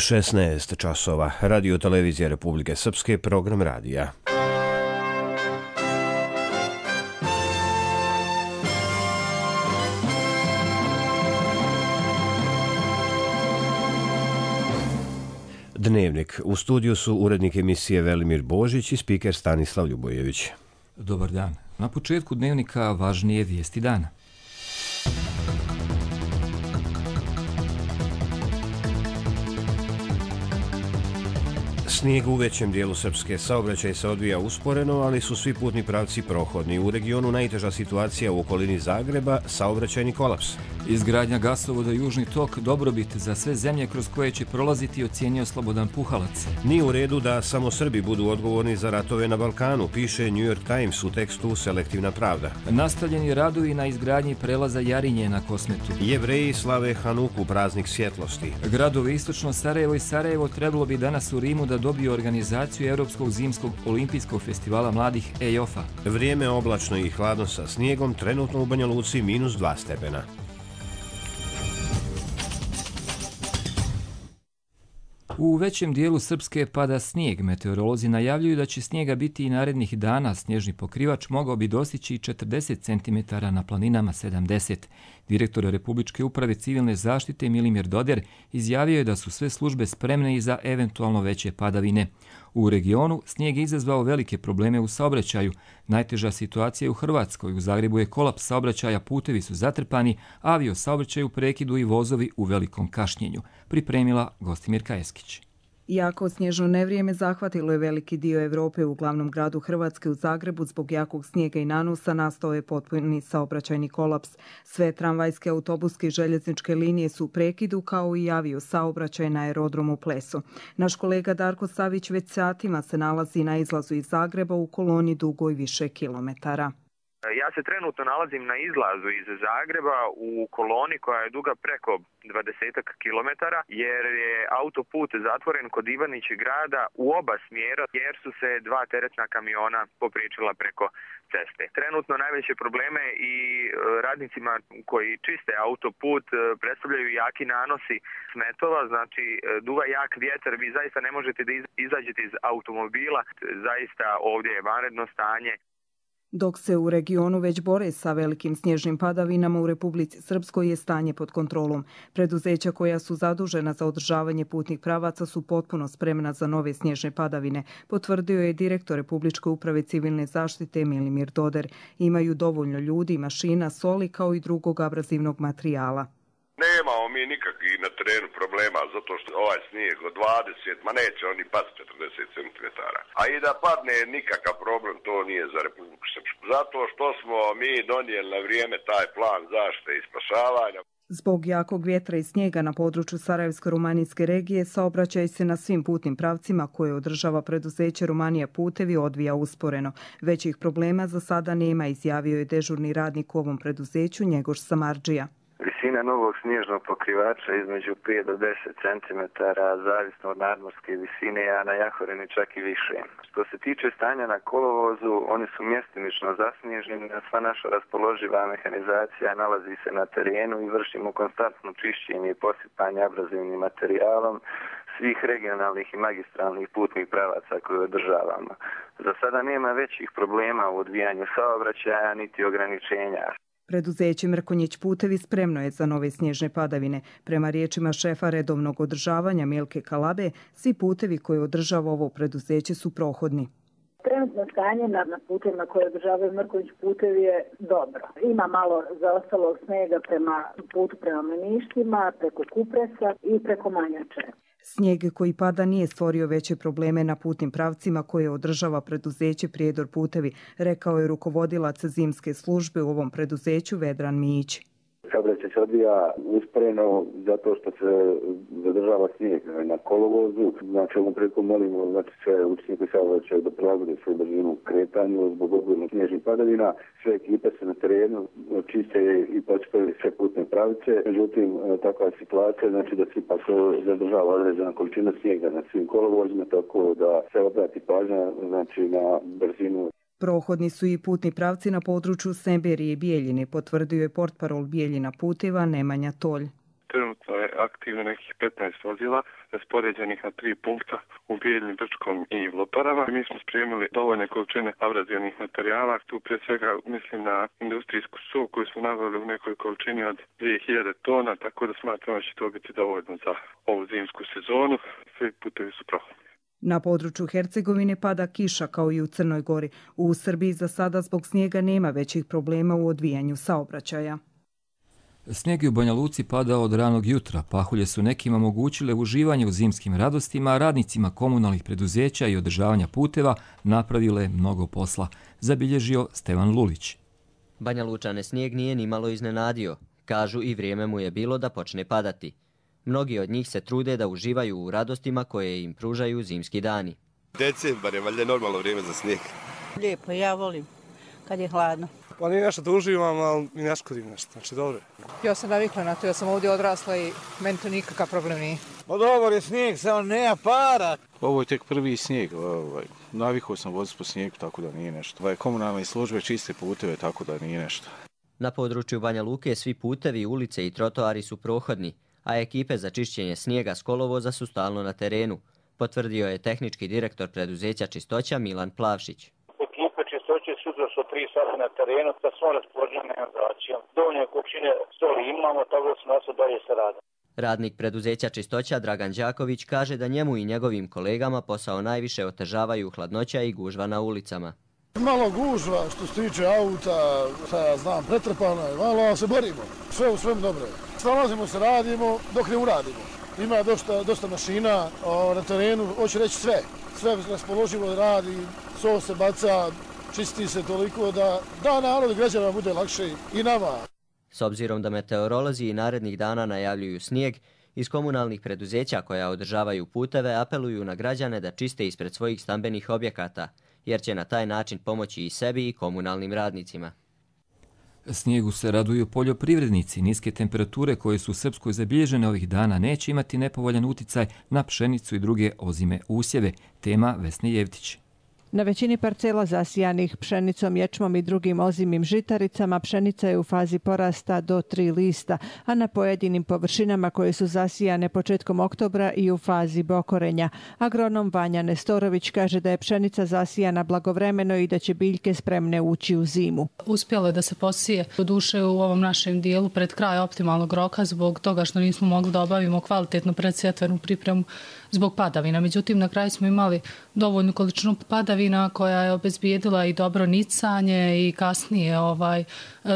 16 časova. Radio televizija Republike Srpske, program radija. Dnevnik. U studiju su urednik emisije Velimir Božić i spiker Stanislav Ljubojević. Dobar dan. Na početku dnevnika važnije vijesti dana. Snijeg u većem dijelu Srpske. Saobraćaj se odvija usporeno, ali su svi putni pravci prohodni. U regionu najteža situacija u okolini Zagreba, saobraćajni kolaps. Izgradnja gasovoda Južni tok dobrobit za sve zemlje kroz koje će prolaziti, ocijenio Slobodan Puhalac. Nije u redu da samo Srbi budu odgovorni za ratove na Balkanu, piše New York Times u tekstu Selektivna pravda. Nastavljeni radovi na izgradnji prelaza Jarinje na Kosmetu. Jevreji slave Hanuku, praznik svjetlosti. Gradovi Istočno Sarajevo i Sarajevo trebalo bi danas u Rimu da dobiju organizaciju Europskog zimskog olimpijskog festivala mladih EIOF-a. Vrijeme oblačno i hladno sa snijegom, trenutno u Banja Luci -2 stepena. U većem dijelu Srpske pada snijeg. Meteorolozi najavljuju da će snijega biti i narednih dana. Snježni pokrivač mogao bi dostići 40 cm, na planinama 70. Direktor Republičke uprave civilne zaštite Milimir Doder izjavio je da su sve službe spremne i za eventualno veće padavine. U regionu snijeg je izazvao velike probleme u saobraćaju. Najteža situacija je u Hrvatskoj. U Zagrebu je kolaps saobraćaja, putevi su zatrpani, avio saobraćaj u prekidu i vozovi u velikom kašnjenju. Pripremila Gostimirka Eskić. Jako snježno nevrijeme zahvatilo je veliki dio Europe. U glavnom gradu Hrvatske, u Zagrebu, zbog jakog snijega i nanosa nastao je potpuni saobraćajni kolaps. Sve tramvajske, autobuske i željezničke linije su u prekidu, kao i avio saobraćaj na aerodromu Pleso. Naš kolega Darko Savić već satima se nalazi na izlazu iz Zagreba u koloni dugoj više kilometara. Ja se trenutno nalazim na izlazu iz Zagreba u koloni koja je duga preko 20 kilometara, jer je autoput zatvoren kod Ivanići grada u oba smjera jer su se 2 teretna kamiona popriječila preko ceste. Trenutno najveće probleme i radnicima koji čiste autoput predstavljaju jaki nanosi smetova, znači duva jak vjetar, vi zaista ne možete da izađete iz automobila, zaista ovdje je vanredno stanje. Dok se u regionu već bore sa velikim snježnim padavinama, u Republici Srpskoj je stanje pod kontrolom. Preduzeća koja su zadužena za održavanje putnih pravaca su potpuno spremna za nove snježne padavine, potvrdio je direktor Republičke uprave civilne zaštite Milimir Doder. Imaju dovoljno ljudi, mašina, soli kao i drugog abrazivnog materijala. Nemamo mi nikakvih na terenu problema, zato što ovaj snijeg od 20, ma neće oni pasti 40 cm. A i da padne nikakav problem, to nije za Republiku Srpsku. Zato što smo mi donijeli na vrijeme taj plan zaštite i spašavanja. Zbog jakog vjetra i snijega na području Sarajevsko-Rumanijske regije, saobraćaj se na svim putnim pravcima koje održava preduzeće Rumanija putevi odvija usporeno. Većih problema za sada nema, izjavio je dežurni radnik u ovom preduzeću Njegoš Samardžija. Visina novog snježnog pokrivača između 5 do 10 cm, zavisno od nadmorske visine, a na Jahorini čak i više. Što se tiče stanja na kolovozu, oni su mjestimično zasnježeni, a sva naša raspoloživa mehanizacija nalazi se na terenu i vršimo konstantno čišćenje i posipanje abrazivnim materijalom svih regionalnih i magistralnih putnih pravaca koje održavamo. Za sada nema većih problema u odvijanju saobraćaja niti ograničenja. Preduzeće Mrkonjić putevi spremno je za nove snježne padavine. Prema riječima šefa redovnog održavanja Milke Kalabe, svi putevi koje održava ovo preduzeće su prohodni. Trenutno stanje na putevima koje održavaju Mrkonjić putevi je dobro. Ima malo zaostalog snijega prema putu prema Meništima, preko Kupresa i preko Manjače. Snijeg koji pada nije stvorio veće probleme na putnim pravcima koje održava preduzeće Prijedor putevi, rekao je rukovodilac zimske službe u ovom preduzeću Vedran Mijić. Saobraćaj se odvija usporeno zato što se zadržava snijeg na kolovozu. Znači ovom prilikom molimo sve učesnike saobraćaja da prilagode svoju brzinu kretanju zbog obilnih snježnih padavina. Sve ekipe se na terenu čiste i posipaju sve putne pravice. Međutim, takva je situacija, znači da se ipak zadržava određena količina snijega na svim kolovozima, tako da se obrati pažnja znači na brzinu. Prohodni su i putni pravci na području Semberije i Bijeljine, potvrdio je portparol Bijeljina puteva Nemanja Tolj. Trenutno je aktivno nekih 15 vozila raspoređenih na 3 punkta u Bijeljini, Brčkom i Loparama. Mi smo spremili dovoljne količine abrazivnih materijala. Tu prije svega mislim na industrijsku sol koju smo naveli u nekoj količini od 2000 tona, tako da smatramo da će to biti dovoljno za ovu zimsku sezonu. Svi putevi su prohodni. Na području Hercegovine pada kiša kao i u Crnoj Gori. U Srbiji za sada zbog snijega nema većih problema u odvijanju saobraćaja. Snijeg je u Banja Luci padao od ranog jutra. Pahulje su nekima omogućile uživanje u zimskim radostima, a radnicima komunalnih preduzeća i održavanja puteva napravile mnogo posla, zabilježio Stevan Lulić. Banja Lučane snijeg nije ni malo iznenadio. Kažu i vrijeme mu je bilo da počne padati. Mnogi od njih se trude da uživaju u radostima koje im pružaju zimski dani. Decembar je valjda normalno vrijeme za snijeg. Lijepo, ja volim kad je hladno. Pa nije nešto da uživam, ali i ne škodim nešto, znači dobro. Ja sam navikla na to, ja sam ovdje odrasla i meni to nikakav problem nije. Pa dobro je snijeg, samo nema para. Ovo je tek prvi snijeg, navikao sam voziti po snijegu, tako da nije nešto. Komunalne službe čiste puteve, tako da nije nešto. Na području Banja Luke svi putevi, ulice i trotoari su prohodni, a ekipe za čišćenje snijega s kolovoza su stalno na terenu, potvrdio je tehnički direktor preduzeća Čistoća Milan Plavšić. Ekipe Čistoće sutra su 3 sata na terenu sa svom raspoloženom organizacijom. Dovoljne količine soli imamo, tako da smo nasto dalje se rade. Radnik preduzeća Čistoća Dragan Đaković kaže da njemu i njegovim kolegama posao najviše otežavaju hladnoća i gužva na ulicama. Malo gužva što se tiče auta, ja znam, pretrpano je malo, ali se borimo. Sve u svem dobro. Snalazimo se, radimo dok ne uradimo. Ima dosta mašina na terenu, hoće reći sve. Sve raspoloživo radi, so se baca, čisti se toliko da narod građana bude lakše i nama. S obzirom da meteorolozi i narednih dana najavljuju snijeg, iz komunalnih preduzeća koja održavaju puteve apeluju na građane da čiste ispred svojih stambenih objekata, jer će na taj način pomoći i sebi i komunalnim radnicima. Snijegu se raduju poljoprivrednici. Niske temperature koje su u Srpskoj zabilježene ovih dana neće imati nepovoljan uticaj na pšenicu i druge ozime usjeve. Tema Vesne Jevtić. Na većini parcela zasijanih pšenicom, ječmom i drugim ozimim žitaricama pšenica je u fazi porasta do 3 lista, a na pojedinim površinama koje su zasijane početkom oktobra i u fazi bokorenja. Agronom Vanja Nestorović kaže da je pšenica zasijana blagovremeno i da će biljke spremne ući u zimu. Uspjelo je da se posije do duše u ovom našem dijelu pred kraj optimalnog roka zbog toga što nismo mogli da obavimo kvalitetnu predsjetvenu pripremu zbog padavina. Međutim, na kraju smo imali dovoljnu količinu padavina koja je obezbijedila i dobro nicanje i kasnije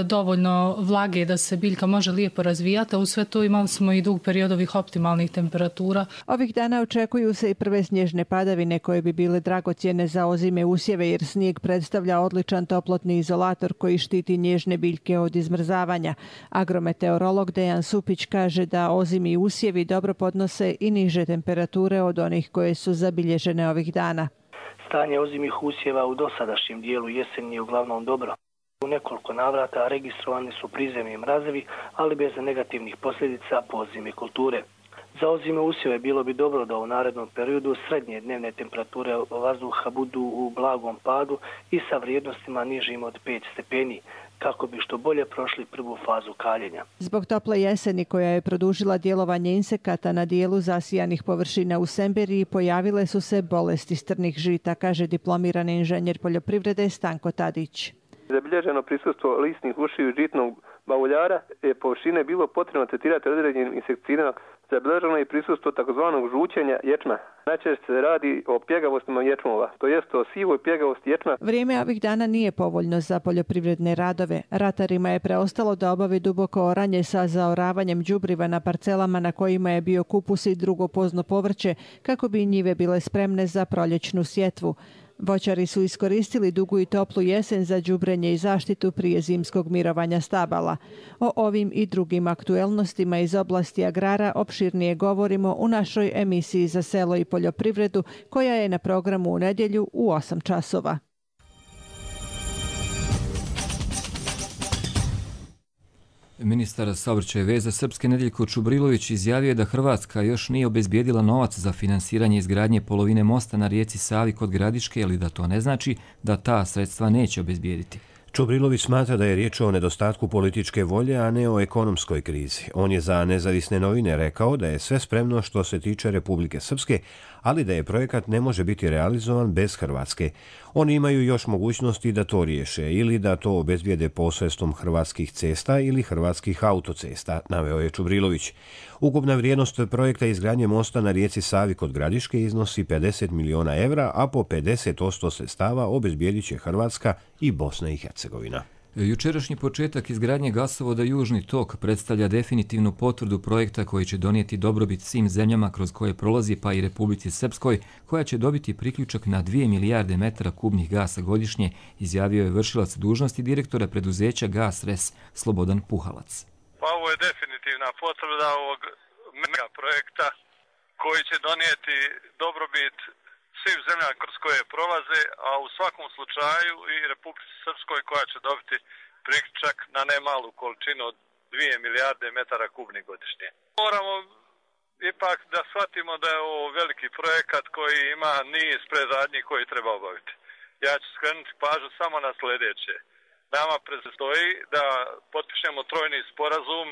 dovoljno vlage da se biljka može lijepo razvijati, a u sve to imali smo i dug period ovih optimalnih temperatura. Ovih dana očekuju se i prve snježne padavine koje bi bile dragocjene za ozime usjeve jer snijeg predstavlja odličan toplotni izolator koji štiti nježne biljke od izmrzavanja. Agrometeorolog Dejan Supić kaže da ozimi usjevi dobro podnose i niže temperature od onih koje su zabilježene ovih dana. Stanje ozimih usjeva u dosadašnjem dijelu jeseni je uglavnom dobro. U nekoliko navrata registrovani su prizemni mrazevi, ali bez negativnih posljedica po ozime kulture. Za ozime usjeve bilo bi dobro da u narednom periodu srednje dnevne temperature vazduha budu u blagom padu i sa vrijednostima nižim od 5 stepeni, kako bi što bolje prošli prvu fazu kaljenja. Zbog tople jeseni koja je produžila djelovanje insekata na dijelu zasijanih površina u Semberiji pojavile su se bolesti strnih žita, kaže diplomirani inženjer poljoprivrede Stanko Tadić. Zabilježeno prisustvo lisnih ušiju žitnog bauljara je površine bilo potrebno tretirati određenim insekticidima. Zabilježeno je prisustvo takozvanog žućenja ječma. Najčešće se radi o pjegavostima ječmova, to jest o sivoj pjegavosti ječma. Vrijeme ovih dana nije povoljno za poljoprivredne radove. Ratarima je preostalo da obavi duboko oranje sa zaoravanjem đubriva na parcelama na kojima je bio kupus i drugo pozno povrće, kako bi njive bile spremne za proljećnu sjetvu. Voćari su iskoristili dugu i toplu jesen za đubrenje i zaštitu prije zimskog mirovanja stabala. O ovim i drugim aktuelnostima iz oblasti agrara opširnije govorimo u našoj emisiji za selo i poljoprivredu koja je na programu u nedjelju u 8 časova. Ministar saobraćaja i veza Srpske Nedeljko Čubrilović izjavio je da Hrvatska još nije obezbijedila novac za finansiranje izgradnje polovine mosta na rijeci Savi kod Gradiške, ili da to ne znači da ta sredstva neće obezbijediti. Čubrilović smatra da je riječ o nedostatku političke volje, a ne o ekonomskoj krizi. On je za Nezavisne novine rekao da je sve spremno što se tiče Republike Srpske, ali da je projekat ne može biti realizovan bez Hrvatske. Oni imaju još mogućnosti da to riješe ili da to obezbijede posredstvom Hrvatskih cesta ili Hrvatskih autocesta, naveo je Čubrilović. Ukupna vrijednost projekta izgradnje mosta na rijeci Savi kod Gradiške iznosi 50 miliona evra, a po 50% sredstava obezbijedit će Hrvatska i Bosna i Hercegovina. Jučerašnji početak izgradnje gasovoda Južni tok predstavlja definitivnu potvrdu projekta koji će donijeti dobrobit svim zemljama kroz koje prolazi, pa i Republici Srpskoj, koja će dobiti priključak na 2 milijarde metara kubnih gasa godišnje, izjavio je vršilac dužnosti direktora preduzeća Gas Res Slobodan Puhalac. Pa ovo je definitivna potvrda ovog mega projekta koji će donijeti dobrobit svim zemljama kroz koje prolaze, a u svakom slučaju i Republici Srpskoj koja će dobiti priključak na nemalu količinu od 2 milijarde metara kubnih godišnje. Moramo ipak da shvatimo da je ovo veliki projekat koji ima niz predradnji koji treba obaviti. Ja ću skrenuti pažnju samo na sljedeće. Nama predstoji da potpišemo trojni sporazum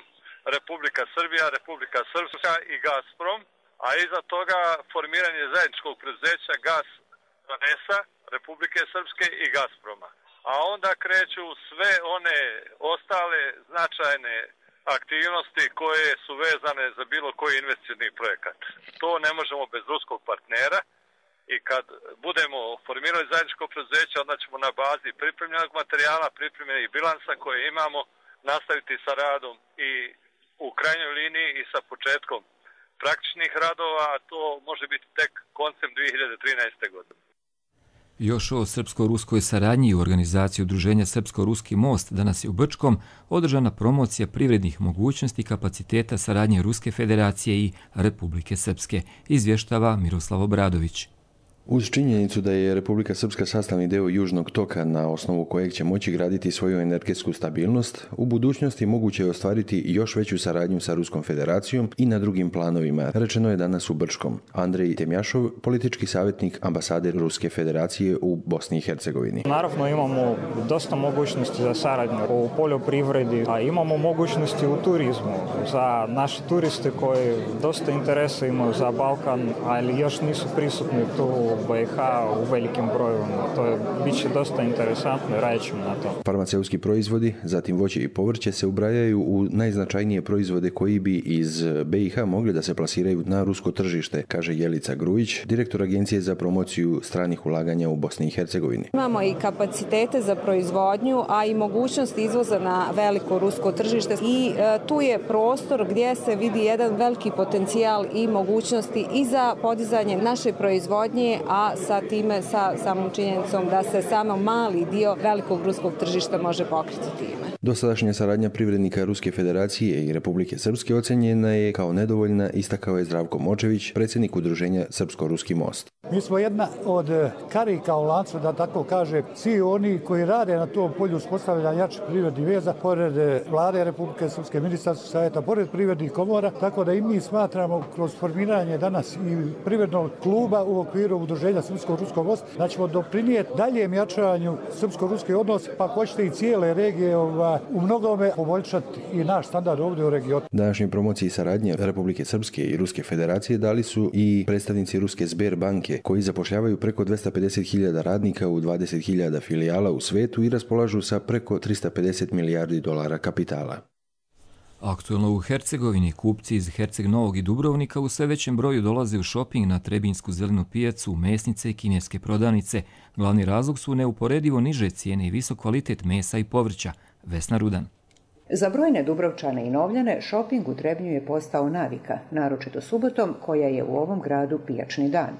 Republika Srbija, Republika Srpska i Gazprom, a iza toga formiranje zajedničkog preduzeća Gas Resa, Republike Srpske i Gazproma. A onda kreću sve one ostale značajne aktivnosti koje su vezane za bilo koji investicioni projekat. To ne možemo bez ruskog partnera i kad budemo formirali zajedničko preduzeće, onda ćemo na bazi pripremljenog materijala, pripremljenih bilansa koje imamo, nastaviti sa radom i u krajnjoj liniji i sa početkom praktičnih radova, a to može biti tek koncem 2013. godine. Još o srpsko-ruskoj saradnji i u organizaciji udruženja Srpsko-ruski most danas je u Brčkom održana promocija privrednih mogućnosti i kapaciteta saradnje Ruske federacije i Republike Srpske, izvještava Miroslav Obradović. Uz činjenicu da je Republika Srpska sastavni deo Južnog toka na osnovu kojeg će moći graditi svoju energetsku stabilnost, u budućnosti moguće je ostvariti još veću saradnju sa Ruskom federacijom i na drugim planovima, rečeno je danas u Brčkom. Andrej Temjašov, politički savjetnik ambasade Ruske federacije u Bosni i Hercegovini. Naravno imamo dosta mogućnosti za saradnju u poljoprivredi, a imamo mogućnosti u turizmu za naše turiste koji dosta interesa imaju za Balkan, ali još nisu prisutni tu u BiH u velikim brojevima. To je biće dosta interesantno i radit ćemo na to. Farmaceutski proizvodi, zatim voće i povrće se ubrajaju u najznačajnije proizvode koji bi iz BiH mogli da se plasiraju na rusko tržište, kaže Jelica Grujić, direktor Agencije za promociju stranih ulaganja u Bosni i Hercegovini. Imamo i kapacitete za proizvodnju, a i mogućnost izvoza na veliko rusko tržište i tu je prostor gdje se vidi jedan veliki potencijal i mogućnosti i za podizanje naše proizvodnje, a sa time, sa samom činjenicom da se samo mali dio velikog ruskog tržišta može pokriti time. Dosadašnja saradnja privrednika Ruske federacije i Republike Srpske ocenjena je kao nedovoljna, istakao je Zdravko Močević, predsjednik udruženja Srpsko-ruski most. Mi smo jedna od karika u lancu, da tako kaže, svi oni koji rade na tom polju uspostavljanja jačih privrednih veza, pored Vlade Republike Srpske, Ministarstva savjeta, pored privrednih komora, tako da i mi smatramo kroz formiranje danas i privrednog kluba u okviru udruženja Srpsko-ruskog mosta, da ćemo doprinijeti daljem jačanju srpsko-ruske odnose, pa hoćete i cijele regije u mnogome poboljšati i naš standard ovdje u regionu. Današnje promociji saradnje Republike Srpske i Ruske federacije dali su i predstavnici Ruske Sberbanke, koji zapošljavaju preko 250.000 radnika u 20.000 filijala u svetu i raspolažu sa preko 350 milijardi dolara kapitala. Aktualno u Hercegovini kupci iz Herceg Novog i Dubrovnika u sve većem broju dolaze u šoping na Trebinsku zelenu pijacu, mesnice i kineske prodavnice. Glavni razlog su neuporedivo niže cijene i visok kvalitet mesa i povrća. Vesna Rudan. Za brojne Dubrovčane i Novljane šoping u Trebnju je postao navika, naročito subotom koja je u ovom gradu pijačni dan.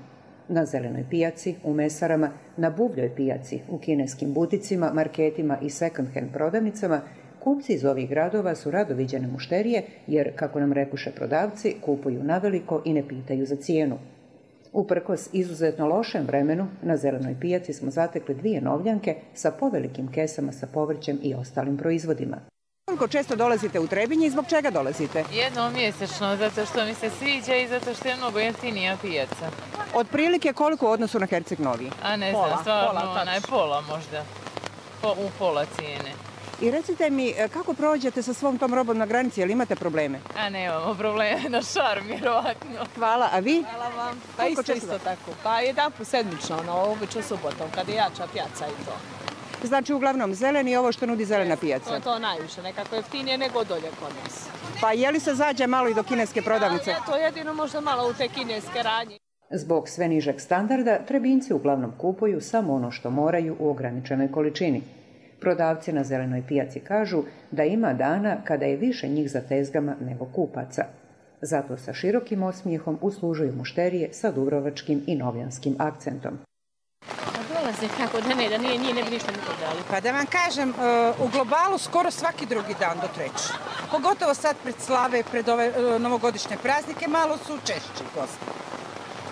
Na zelenoj pijaci, u mesarama, na buvljoj pijaci, u kineskim buticima, marketima i second-hand prodavnicama, kupci iz ovih gradova su rado viđene mušterije jer, kako nam rekuše prodavci, kupuju naveliko i ne pitaju za cijenu. Uprkos izuzetno lošem vremenu, na zelenoj pijaci smo zatekli 2 Novljanke sa povelikim kesama sa povrćem i ostalim proizvodima. Koliko često dolazite u Trebinje i zbog čega dolazite? Jednom mjesečno, zato što mi se sviđa i zato što je mnogo jeftinija pijaca. Otprilike koliko u odnosu na Herceg Novi? A ne znam, stvarno, pola možda. u pola cijene. I recite mi, kako prođete sa svom tom robom na granici, jel imate probleme? A nemamo probleme, na šarm, vjerovatno. Hvala, a vi? Hvala vam. Pa isto tako. Pa jedanput sedmično, obično subotom, kad je jača pijaca i to. Znači uglavnom zeleni, ovo što nudi zelena pijaca. To najviše, nekako jeftinije nego dolje kod nas. Pa je li se zađe malo i do kineske prodavnice? To jedino možda malo u te kineske radnje. Zbog sve nižeg standarda, Trebinjci uglavnom kupuju samo ono što moraju u ograničenoj količini. Prodavci na zelenoj pijaci kažu da ima dana kada je više njih za tezgama nego kupaca. Zato sa širokim osmijehom uslužuju mušterije sa dubrovačkim i novljanskim akcentom. Dolaze kako da nije ne bi ništa nikog dali. Pa da vam kažem, u globalu skoro svaki drugi dan do treći. Pogotovo sad pred slave, pred ove novogodišnje praznike, malo su češći gosti.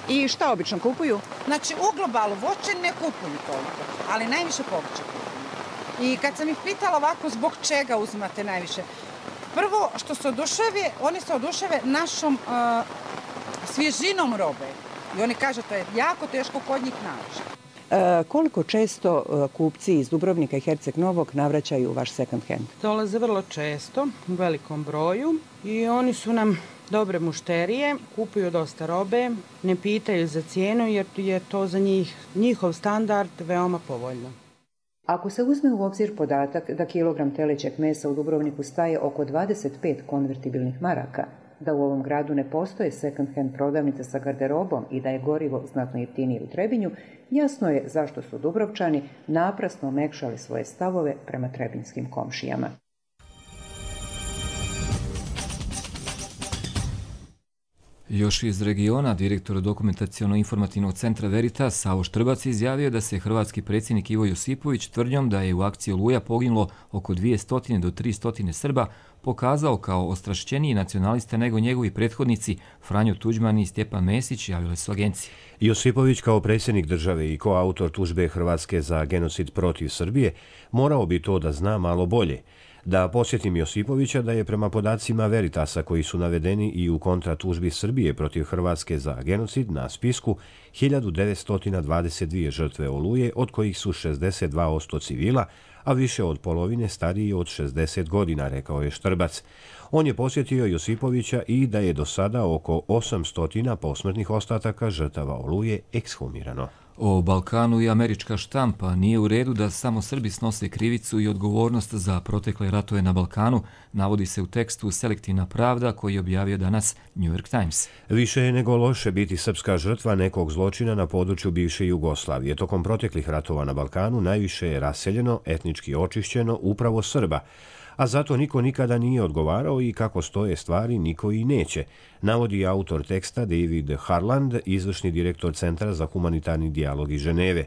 I šta obično kupuju? Znači u globalu voće ne kupuju toliko, ali najviše povrće kupuju. I kad sam ih pitala ovako zbog čega uzimate najviše, prvo što se oduševe, oni se oduševe našom svježinom robe. I oni kažu to je jako teško kod njih naći. Koliko često kupci iz Dubrovnika i Herceg Novog navraćaju u vaš second hand? Dolaze vrlo često, u velikom broju i oni su nam dobre mušterije, kupuju dosta robe, ne pitaju za cijenu jer je to za njihov standard veoma povoljno. Ako se uzme u obzir podatak da kilogram telećeg mesa u Dubrovniku staje oko 25 konvertibilnih maraka, da u ovom gradu ne postoje second hand prodavnice sa garderobom i da je gorivo znatno jeftinije u Trebinju, jasno je zašto su Dubrovčani naprasno omekšali svoje stavove prema trebinjskim komšijama. Još iz regiona, direktor dokumentaciono-informativnog centra Veritas Savo Štrbac izjavio da se hrvatski predsjednik Ivo Josipović tvrdnjom da je u akciji Oluja poginulo oko 200 do 300 Srba pokazao kao ostrašćeniji nacionalista nego njegovi prethodnici Franjo Tuđman i Stjepan Mesić, javile su agencije. Josipović kao predsjednik države i koautor tužbe Hrvatske za genocid protiv Srbije morao bi to da zna malo bolje. Da posjetim Josipovića da je prema podacima Veritasa koji su navedeni i u kontratužbi Srbije protiv Hrvatske za genocid na spisku 1922 žrtve Oluje, od kojih su 62% civila, a više od polovine stariji od 60 godina, rekao je Štrbac. On je posjetio Josipovića i da je do sada oko 800 posmrtnih ostataka žrtava Oluje ekshumirano. O Balkanu i američka štampa nije u redu da samo Srbi snose krivicu i odgovornost za protekle ratove na Balkanu, navodi se u tekstu Selektivna pravda koji je objavio danas New York Times. Više je nego loše biti srpska žrtva nekog zločina na području bivše Jugoslavije. Tokom proteklih ratova na Balkanu najviše je raseljeno, etnički očišćeno upravo Srba, a zato niko nikada nije odgovarao i kako stoje stvari niko i neće, navodi autor teksta David Harland, izvršni direktor Centra za humanitarni dijalog iz Ženeve.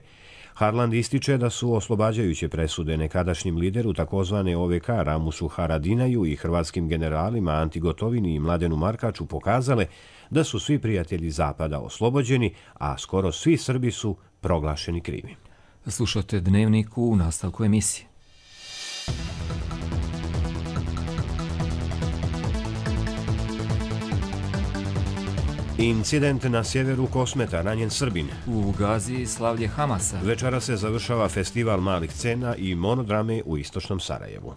Harland ističe da su oslobađajuće presude nekadašnjim lideru takozvane OVK Ramušu Haradinaju i hrvatskim generalima Anti Gotovini i Mladenu Markaču pokazale da su svi prijatelji Zapada oslobođeni, a skoro svi Srbi su proglašeni krivim. Slušate Dnevnik u nastavku emisije. Incident na sjeveru Kosmeta, ranjen Srbin. U Gazi slavlje Hamasa. Večera se završava festival malih scena i monodrame u istočnom Sarajevu.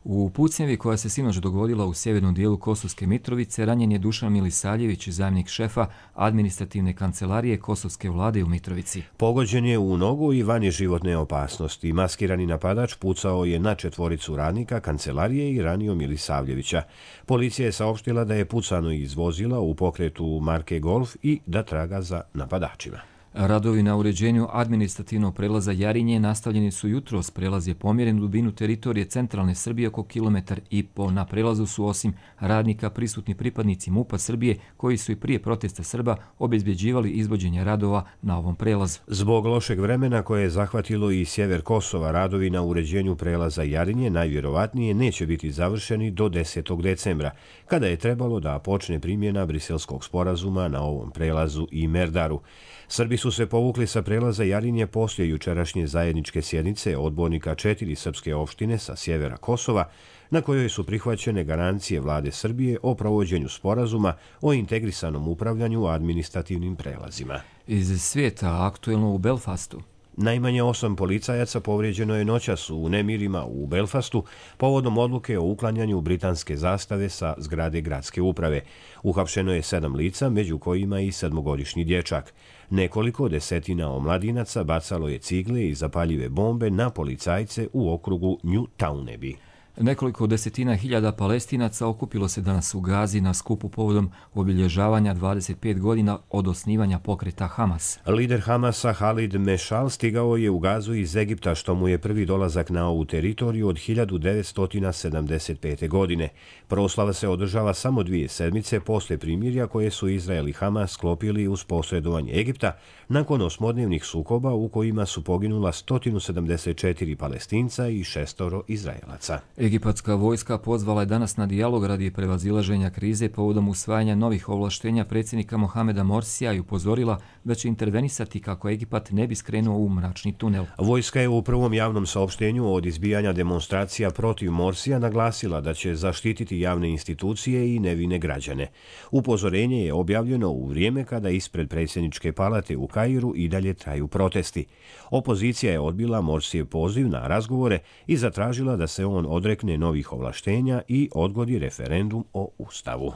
U pucnjevi koja se sinoć dogodila u sjevernom dijelu Kosovske Mitrovice ranjen je Dušan Milisaljević, zamjenik šefa administrativne kancelarije Kosovske vlade u Mitrovici. Pogođen je u nogu i van je životne opasnosti. Maskirani napadač pucao je na 4 radnika kancelarije i ranio Milisavljevića. Policija je saopštila da je pucano iz vozila u pokretu marke Golf i da traga za napadačima. Radovi na uređenju administrativnog prelaza Jarinje nastavljeni su jutros. Prelaz je pomjeren u dubinu teritorije centralne Srbije oko 1,5 km. Na prelazu su osim radnika prisutni pripadnici MUP-a Srbije koji su i prije protesta Srba obezbjeđivali izvođenje radova na ovom prelazu. Zbog lošeg vremena koje je zahvatilo i sjever Kosova, radovi na uređenju prelaza Jarinje najvjerovatnije neće biti završeni do 10. decembra, kada je trebalo da počne primjena Briselskog sporazuma na ovom prelazu i Merdaru. Srbi su se povukli sa prelaza Jarinje poslije jučerašnje zajedničke sjednice odbornika 4 srpske opštine sa sjevera Kosova, na kojoj su prihvaćene garancije vlade Srbije o provođenju sporazuma o integrisanom upravljanju administrativnim prelazima. Iz svijeta aktuelno u Belfastu. Najmanje 8 policajaca povrijeđeno je noćas u nemirima u Belfastu povodom odluke o uklanjanju britanske zastave sa zgrade gradske uprave. Uhapšeno je 7 lica, među kojima i 7-godišnji dječak. Nekoliko desetina omladinaca bacalo je cigle i zapaljive bombe na policajce u okrugu New Towneby. Nekoliko desetina hiljada Palestinaca okupilo se danas u Gazi na skupu povodom obilježavanja 25 godina od osnivanja pokreta Hamas. Lider Hamasa Halid Mešal stigao je u Gazu iz Egipta, što mu je prvi dolazak na ovu teritoriju od 1975. godine. Proslava se održava samo 2 sedmice posle primirja koje su Izrael i Hamas sklopili uz posredovanje Egipta nakon 8-dnevnih sukoba u kojima su poginula 174 Palestinca i 6 Izraelaca. Egipatska vojska pozvala je danas na dijalog radi prevazilaženja krize povodom usvajanja novih ovlaštenja predsjednika Mohameda Morsija i upozorila da će intervenisati kako Egipat ne bi skrenuo u mračni tunel. Vojska je u prvom javnom saopštenju od izbijanja demonstracija protiv Morsija naglasila da će zaštititi javne institucije i nevine građane. Upozorenje je objavljeno u vrijeme kada ispred predsjedničke palate u Kairu i dalje traju protesti. Opozicija je odbila Morsijev poziv na razgovore i zatražila da se on odrekne novih ovlaštenja i odgodi referendum o Ustavu.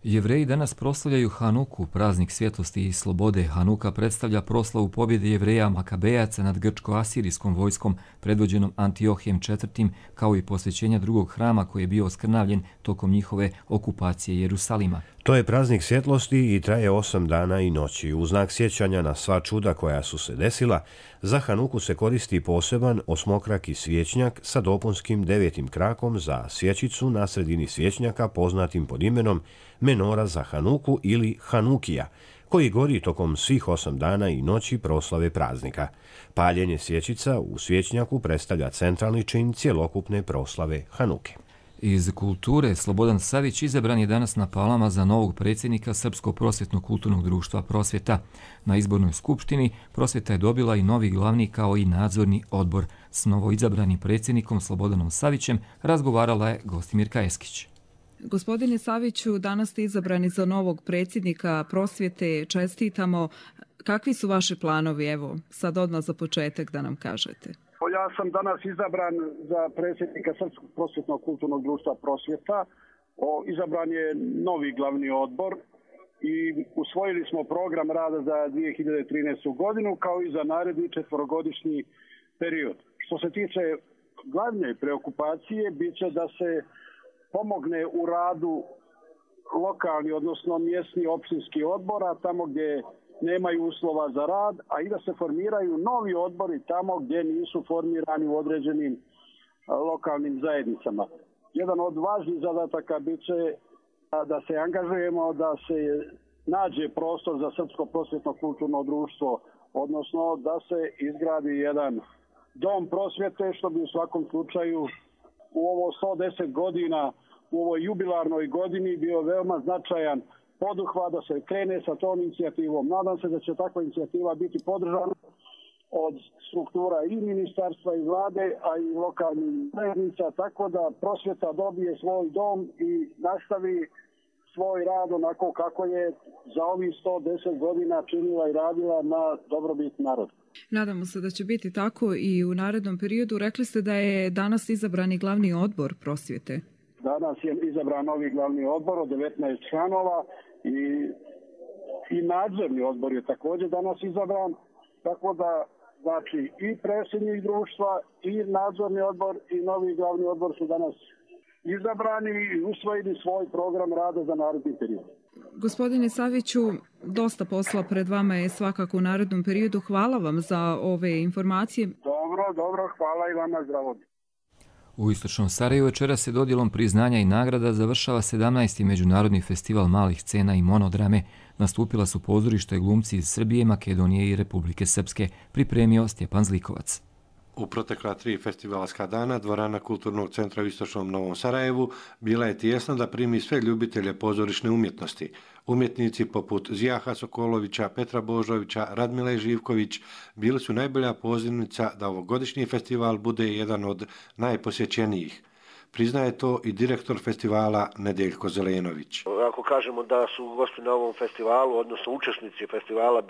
Jevreji danas proslavljaju Hanuku, praznik svjetlosti i slobode. Hanuka predstavlja proslavu pobjede Jevreja Makabejaca nad grčko-asirijskom vojskom predvođenom Antiohijem IV, kao i posvećenja drugog hrama koji je bio oskrnavljen tokom njihove okupacije Jerusalima. To je praznik svjetlosti i traje 8 dana i noći. U znak sjećanja na sva čuda koja su se desila, za Hanuku se koristi poseban osmokraki svječnjak sa dopunskim 9. krakom za svječicu na sredini svječnjaka poznatim pod imenom menora za Hanuku ili Hanukija, koji gori tokom svih 8 dana i noći proslave praznika. Paljenje svječica u svječnjaku predstavlja centralni čin cjelokupne proslave Hanuke. Iz kulture Slobodan Savić izabran je danas na Palama za novog predsjednika Srpskog prosvjetno-kulturnog društva Prosvjeta. Na izbornoj skupštini Prosvjeta je dobila i novi glavni kao i nadzorni odbor. S novoizabranim predsjednikom Slobodanom Savićem razgovarala je Gostimirka Eskić. Gospodine Saviću, danas ste izabrani za novog predsjednika Prosvjete. Čestitamo. Kakvi su vaši planovi? Evo, sad odmah za početak da nam kažete. Ja sam danas izabran za predsjednika Srpskog prosvjetno-kulturnog društva Prosvjeta. Izabran je novi glavni odbor i usvojili smo program rada za 2013. godinu kao i za naredni 4-godišnji period. Što se tiče glavne preokupacije, bit će da se pomogne u radu lokalni, odnosno mjesni općinski odbora, tamo gdje nemaju uslova za rad, a i da se formiraju novi odbori tamo gdje nisu formirani u određenim lokalnim zajednicama. Jedan od važnih zadataka bit će da se angažujemo, da se nađe prostor za Srpsko prosvjetno-kulturno društvo, odnosno da se izgradi jedan dom prosvjete, što bi u svakom slučaju u ovo 110 godina, u ovoj jubilarnoj godini bio veoma značajan poduhvat da se krene sa tom inicijativom. Nadam se da će takva inicijativa biti podržana od struktura i ministarstva i vlade, a i lokalnih zajednica, tako da Prosvjeta dobije svoj dom i nastavi svoj rad onako kako je za ovih 110 godina činila i radila na dobrobit naroda. Nadamo se da će biti tako i u narednom periodu. Rekli ste da je danas izabrani glavni odbor Prosvjete. Danas je izabran novi glavni odbor od 19 članova i nadzorni odbor je također danas izabran, tako da znači i predsjednik društva i nadzorni odbor i novi glavni odbor su danas izabrani i usvojili svoj program rada za naredni period. Gospodine Saviću, dosta posla pred vama je svakako u narednom periodu. Hvala vam za ove informacije. Dobro, hvala i vama, zdravo. U istočnom Sarajevu večeras se dodjelom priznanja i nagrada završava 17. Međunarodni festival malih scena i monodrame. Nastupila su pozorišta i glumci iz Srbije, Makedonije i Republike Srpske, pripremio Stjepan Zlikovac. U protekla 3 festivalska dana dvorana Kulturnog centra u istočnom Novom Sarajevu bila je tijesna da primi sve ljubitelje pozorišne umjetnosti. Umjetnici poput Zijaha Sokolovića, Petra Božovića, Radmile Živković bili su najbolja pozivnica da ovogodišnji festival bude jedan od najposjećenijih. Priznaje to i direktor festivala Nedeljko Zelenović. Ako kažemo da su gosti na ovom festivalu, odnosno učesnici festivala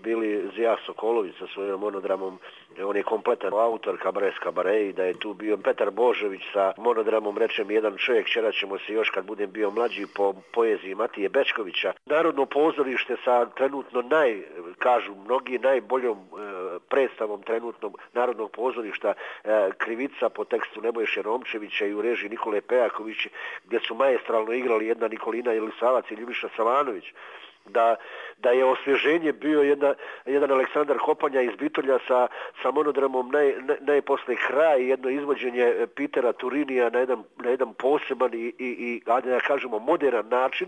bili Zijah Sokolović sa svojim monodramom, on je kompletan autor kabare i da je tu bio Petar Božović sa monodramom Rečem jedan čovjek, čerat ćemo se još kad budem bio mlađi po poeziji Matije Bečkovića. Narodno pozorište sa trenutno kažu mnogi najboljom predstavom trenutnog narodnog pozorišta Krivica po tekstu Nebojše Romčevića i u režiji Nikole Pejaković, gdje su maestralno igrali jedna Nikolina Jelisavac i Ljubiša Savanović. Da je osvježenje bio jedan Aleksandar Kopanja iz Bitolja sa monodramom najposle kraj, jedno izvođenje Pitera Turinija na jedan poseban i da kažemo moderan način,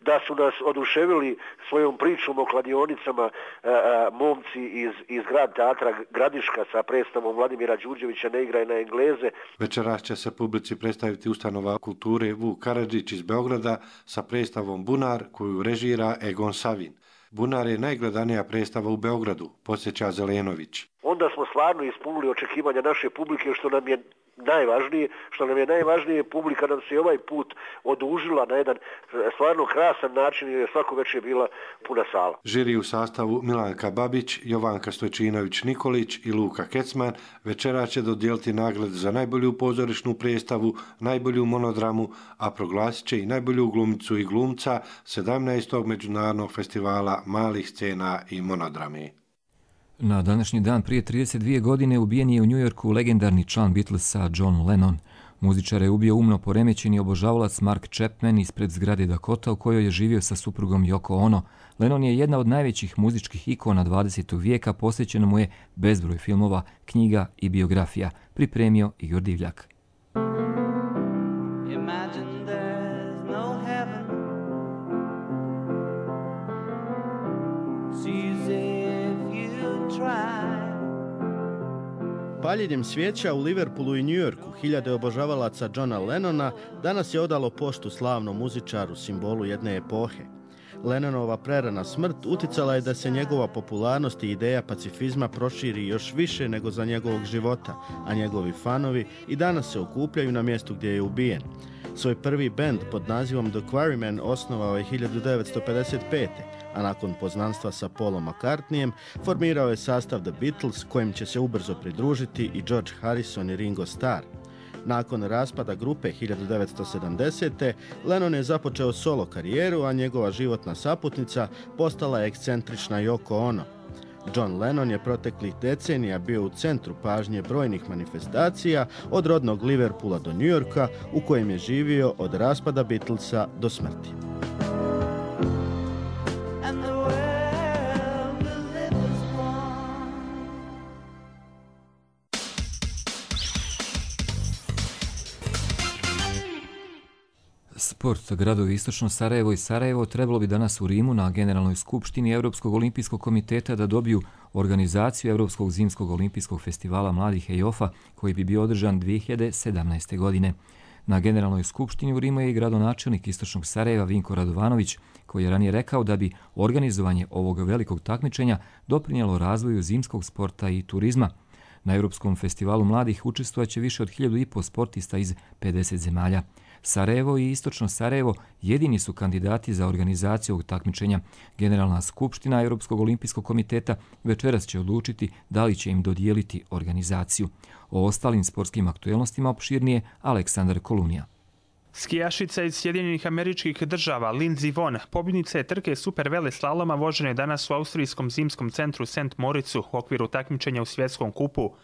da su nas oduševili svojom pričom o kladionicama momci iz Grad teatra Gradiška sa predstavom Vladimira Đurđevića Ne igraj na Engleze. Večeras će se publici predstaviti ustanova kulture Vuk Karadžić iz Beograda sa predstavom Bunar koju režira Egon Savin. Bunar je najgledanija predstava u Beogradu, podsjeća Zelenović. Onda smo stvarno ispunili očekivanja naše publike, što nam je najvažnije, publika nam se ovaj put odužila na jedan stvarno krasan način jer je svako večer bila puna sala. Žiri u sastavu Milanka Babić, Jovanka Stojčinović-Nikolić i Luka Kecman večeras će dodijeliti nagrade za najbolju pozorišnu predstavu, najbolju monodramu, a proglasit će i najbolju glumicu i glumca 17. međunarodnog festivala malih scena i monodrame. Na današnji dan prije 32 godine ubijen je u Njujorku legendarni član Beatlesa John Lennon. Muzičara je ubio umno poremećeni obožavalac Mark Chapman ispred zgrade Dakota u kojoj je živio sa suprugom Yoko Ono. Lennon je jedna od najvećih muzičkih ikona 20. vijeka, posvećeno mu je bezbroj filmova, knjiga i biografija. Pripremio Igor Divljak. Paljenjem svijeća u Liverpoolu i Njujorku hiljade obožavalaca Johna Lennona danas je odalo poštu slavnom muzičaru, simbolu jedne epohe. Lennonova prerana smrt uticala je da se njegova popularnost i ideja pacifizma proširi još više nego za njegovog života, a njegovi fanovi i danas se okupljaju na mjestu gdje je ubijen. Svoj prvi bend pod nazivom The Quarrymen osnovao je 1955. a nakon poznanstva sa Paulom McCartneyem formirao je sastav The Beatles, kojim će se ubrzo pridružiti i George Harrison i Ringo Starr. Nakon raspada grupe 1970. Lennon je započeo solo karijeru, a njegova životna saputnica postala je ekscentrična Yoko Ono. John Lennon je proteklih decenija bio u centru pažnje brojnih manifestacija, od rodnog Liverpoola do New Yorka, u kojem je živio od raspada Beatlesa do smrti. Sport. Gradovi Istočno Sarajevo i Sarajevo trebalo bi danas u Rimu na Generalnoj skupštini Europskog olimpijskog komiteta da dobiju organizaciju Europskog zimskog olimpijskog festivala mladih EIOF-a koji bi bio održan 2017. godine. Na Generalnoj skupštini u Rimu je i gradonačelnik Istočnog Sarajeva Vinko Radovanović, koji je ranije rekao da bi organizovanje ovog velikog takmičenja doprinijelo razvoju zimskog sporta i turizma. Na Europskom festivalu mladih učestvovaće više od 1500 sportista iz 50 zemalja. Sarajevo i Istočno Sarajevo jedini su kandidati za organizaciju ovog takmičenja. Generalna skupština Europskog olimpijskog komiteta večeras će odlučiti da li će im dodijeliti organizaciju. O ostalim sportskim aktuelnostima opširnije Aleksandar Kolunija. Skijašica iz Sjedinjenih Američkih Država Lindsey Vonn, pobjednica je trke super vele slaloma vožene danas u austrijskom zimskom centru St. Moricu u okviru takmičenja u svjetskom kupu.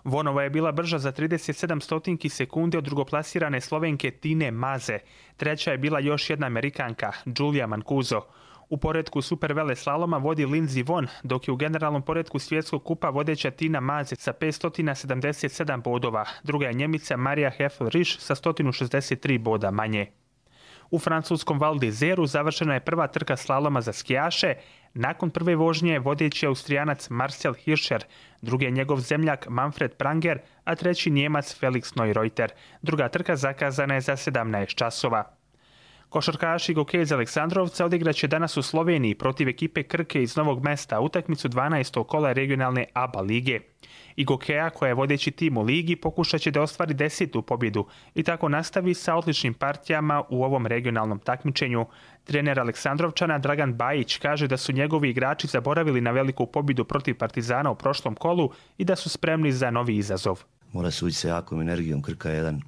Vonova je bila brža za 37 sekunde od drugoplasirane Slovenke Tine Maze. Treća je bila još jedna Amerikanka, Giulia Mancuso. U poretku super vele slaloma vodi Lindsey Vonn, dok je u generalnom poretku svjetskog kupa vodeća Tina Maze sa 577 bodova. Druga je Njemica Marija Heffel-Risch sa 163 boda manje. U francuskom Val d'Izeru završena je prva trka slaloma za skijaše. Nakon prve vožnje vodeći Austrijanac Marcel Hirscher, drugi je njegov zemljak Manfred Pranger, a treći Njemac Felix Neureuter. Druga trka zakazana je za 17 časova. Košarkaši Gokeja iz Aleksandrovca odigraće danas u Sloveniji protiv ekipe Krke iz Novog Mesta utakmicu 12. kola regionalne ABA lige. I Gokeja, koja je vodeći tim u ligi, pokušat će da ostvari 10. pobjedu i tako nastavi sa odličnim partijama u ovom regionalnom takmičenju. Trener Aleksandrovčana Dragan Bajić kaže da su njegovi igrači zaboravili na veliku pobjedu protiv Partizana u prošlom kolu i da su spremni za novi izazov. Mora se ući sa jakom energijom. Krka je jedan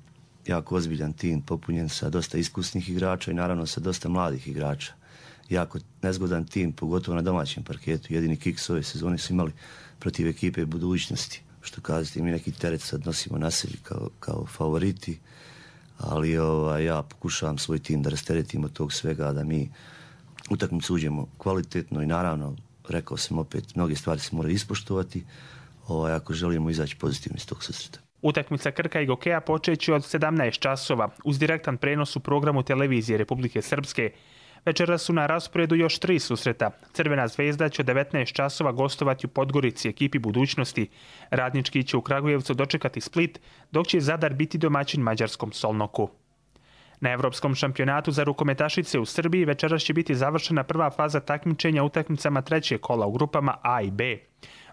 jako ozbiljan tim, popunjen sa dosta iskusnih igrača i naravno sa dosta mladih igrača. Jako nezgodan tim, pogotovo na domaćem parketu. Jedini kiks ove sezone su imali protiv ekipe budućnosti. Što kazati, mi neki teret sad nosimo na sebi kao favoriti, ali ja pokušavam svoj tim da rasteretimo tog svega, da mi utakmicu uđemo kvalitetno i naravno, rekao sam opet, mnoge stvari se moraju ispoštovati ako želimo izaći pozitivno iz tog susreta. Utakmica Krka i Gokeja počeće od 17 časova uz direktan prenos u programu televizije Republike Srpske. Večeras su na rasporedu još 3 susreta. Crvena zvezda će od 19 časova gostovati u Podgorici ekipi budućnosti. Radnički će u Kragujevcu dočekati Split, dok će Zadar biti domaćin mađarskom Solnoku. Na Evropskom šampionatu za rukometašice u Srbiji večeras će biti završena prva faza takmičenja utakmicama trećeg kola u grupama A i B.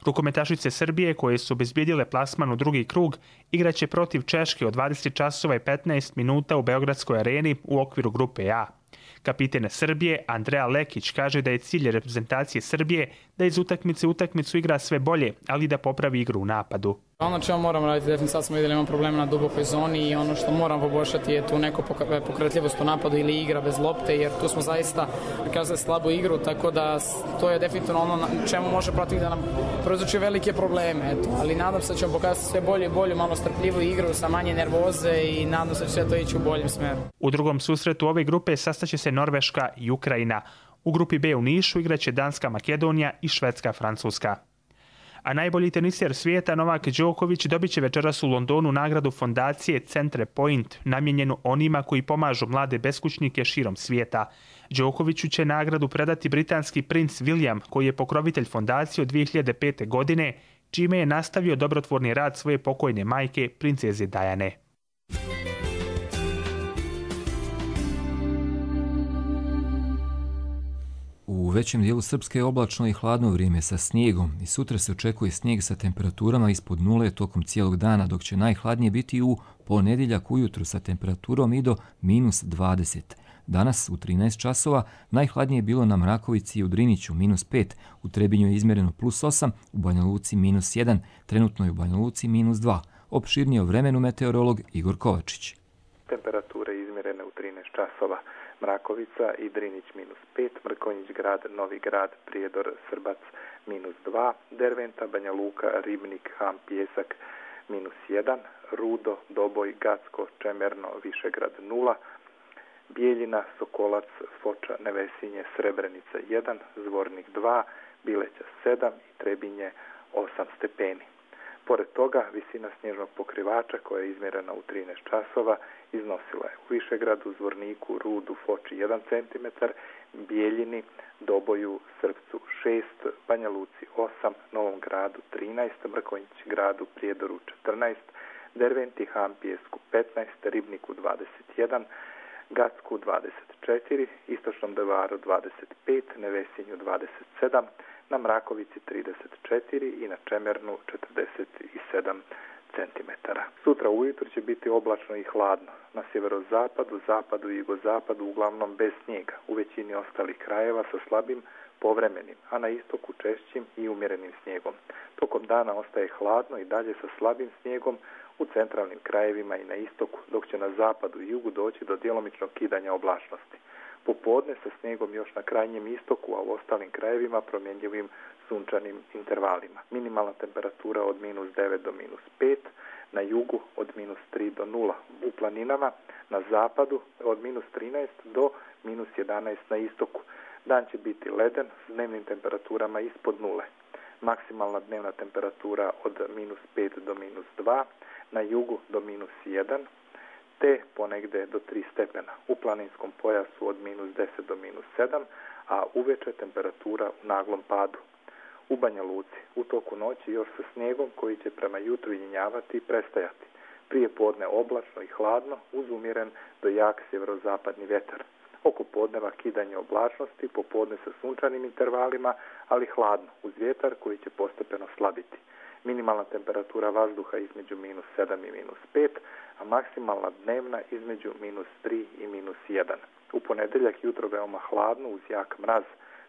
Rukometašice Srbije, koje su obezbijedile plasman u drugi krug, igraće protiv Češke od 20 časova i 15 minuta u Beogradskoj areni u okviru grupe A. Kapiten Srbije Andreja Lekić kaže da je cilj reprezentacije Srbije da iz utakmice u utakmicu igra sve bolje, ali da popravi igru u napadu. Ono čemu moramo raditi, definitivno sad smo vidjeli imamo problema na dubokoj zoni i ono što moram poboljšati je tu neko pokretljivost u napadu ili igra bez lopte, jer tu smo zaista kazali slabu igru, tako da to je definitivno ono na čemu može protiv da nam prouzroči velike probleme. Eto. Ali nadam se da ćemo pokazati sve bolje i bolju, malo strpljivu igru sa manje nervoze i nadam se da će sve to ići u boljem smeru. U drugom susretu ove grupe sastaće se Norveška i Ukrajina. U grupi B u Nišu igraće Danska, Makedonija i Švedska, Francuska. A najbolji teniser svijeta Novak Đoković dobit će večeras u Londonu nagradu fondacije Centre Point, namijenjenu onima koji pomažu mlade beskućnike širom svijeta. Đokoviću će nagradu predati britanski princ William, koji je pokrovitelj fondacije od 2005. godine, čime je nastavio dobrotvorni rad svoje pokojne majke, princeze Diane. U većem dijelu Srpske je oblačno i hladno vrijeme sa snijegom i sutra se očekuje snijeg sa temperaturama ispod nule tokom cijelog dana, dok će najhladnije biti u ponedjeljak ujutru sa temperaturom i do -20. Danas u 13 časova najhladnije je bilo na Mrakovici i u Driniću -5, u Trebinju je izmjereno +8, u Banja Luci -1, trenutno je u Banja Luci -2. Opširnije o vremenu meteorolog Igor Kovačić. Temperature izmjerene u 13 časova. Mrakovica i Drinić -5, Mrkonjić grad, Novi grad, Prijedor, Srbac -2, Derventa, Banja Luka, Ribnik, Ham, Pjesak -1, Rudo, Doboj, Gacko, Čemerno, Višegrad 0, Bijeljina, Sokolac, Foča, Nevesinje, Srebrenica 1, Zvornik 2, Bileća 7 i Trebinje 8 stepeni. Pored toga, visina snježnog pokrivača koja je izmjerena u 13 časova iznosila je u Višegradu, Zvorniku, Rudu, Foči 1 cm, Bijeljini, Doboju, Srpcu 6, Banja Luci 8, Novom gradu 13, Mrkonjić gradu, Prijedoru 14, Derventi, Ham, Pijesku 15, Ribniku 21, Gacku 24, Istočnom Devaru 25, Nevesinju 27, na Mrakovici 34 i na Čemernu 47 cm. Sutra ujutro će biti oblačno i hladno. Na sjeverozapadu, zapadu i jugozapadu uglavnom bez snijega. U većini ostalih krajeva sa slabim povremenim, a na istoku češćim i umjerenim snijegom. Tokom dana ostaje hladno i dalje sa slabim snijegom u centralnim krajevima i na istoku, dok će na zapadu i jugu doći do djelomičnog kidanja oblačnosti. Popodne sa snijegom još na krajnjem istoku, a u ostalim krajevima promjenjivim sunčanim intervalima. Minimalna temperatura od -9 do -5, na jugu od -3 do 0. U planinama na zapadu od -13 do -11 na istoku. Dan će biti leden s dnevnim temperaturama ispod nule. Maksimalna dnevna temperatura od -5 do -2, na jugu do -1, te ponegde do 3 stepena. U planinskom pojasu od -10 do -7, a uveče temperatura u naglom padu. U Banja Luci u toku noći još sa snijegom koji će prema jutru jenjavati i prestajati. Prije podne oblačno i hladno uz umjeren do jak sjeverozapadni vjetar. oko podneva kidanje oblačnosti, popodne sa sunčanim intervalima, ali hladno, uz vjetar koji će postepeno slabiti. Minimalna temperatura vazduha između -7 i -5, a maksimalna dnevna između -3 i -1. U ponedjeljak jutro veoma hladno uz jak mraz,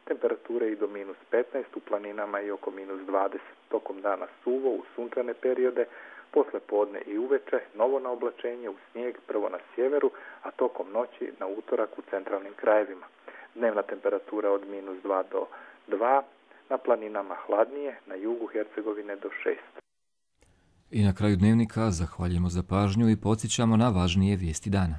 temperature i do -15 u planinama i oko -20. Tokom dana suvo u sunčane periode, posle podne i uveče novo naoblačenje u snijeg prvo na sjeveru, a tokom noći na utorak u centralnim krajevima. Dnevna temperatura od -2 do 2, na planinama hladnije, na jugu Hercegovine do 6. I na kraju dnevnika zahvaljujemo za pažnju i podsjećamo na važnije vijesti dana.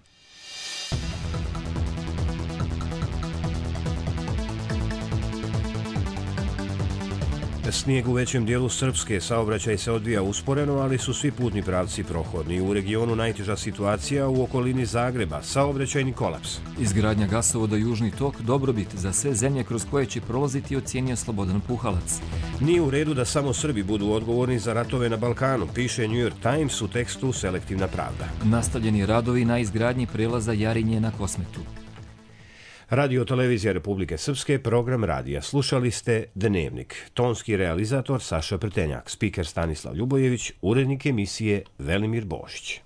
Snijeg u većem dijelu Srpske, saobraćaj se odvija usporeno, ali su svi putni pravci prohodni. U regionu najteža situacija u okolini Zagreba, saobraćajni kolaps. Izgradnja gasovoda Južni tok dobrobit za sve zemlje kroz koje će prolaziti, ocijenio Slobodan Puhalac. Nije u redu da samo Srbi budu odgovorni za ratove na Balkanu, piše New York Times u tekstu Selektivna pravda. Nastavljeni radovi na izgradnji prelaza Jarinje na Kosmetu. Radio Televizija Republike Srpske, program radija. Slušali ste Dnevnik. Tonski realizator Saša Prtenjak, spiker Stanislav Ljubojević, urednik emisije Velimir Bošić.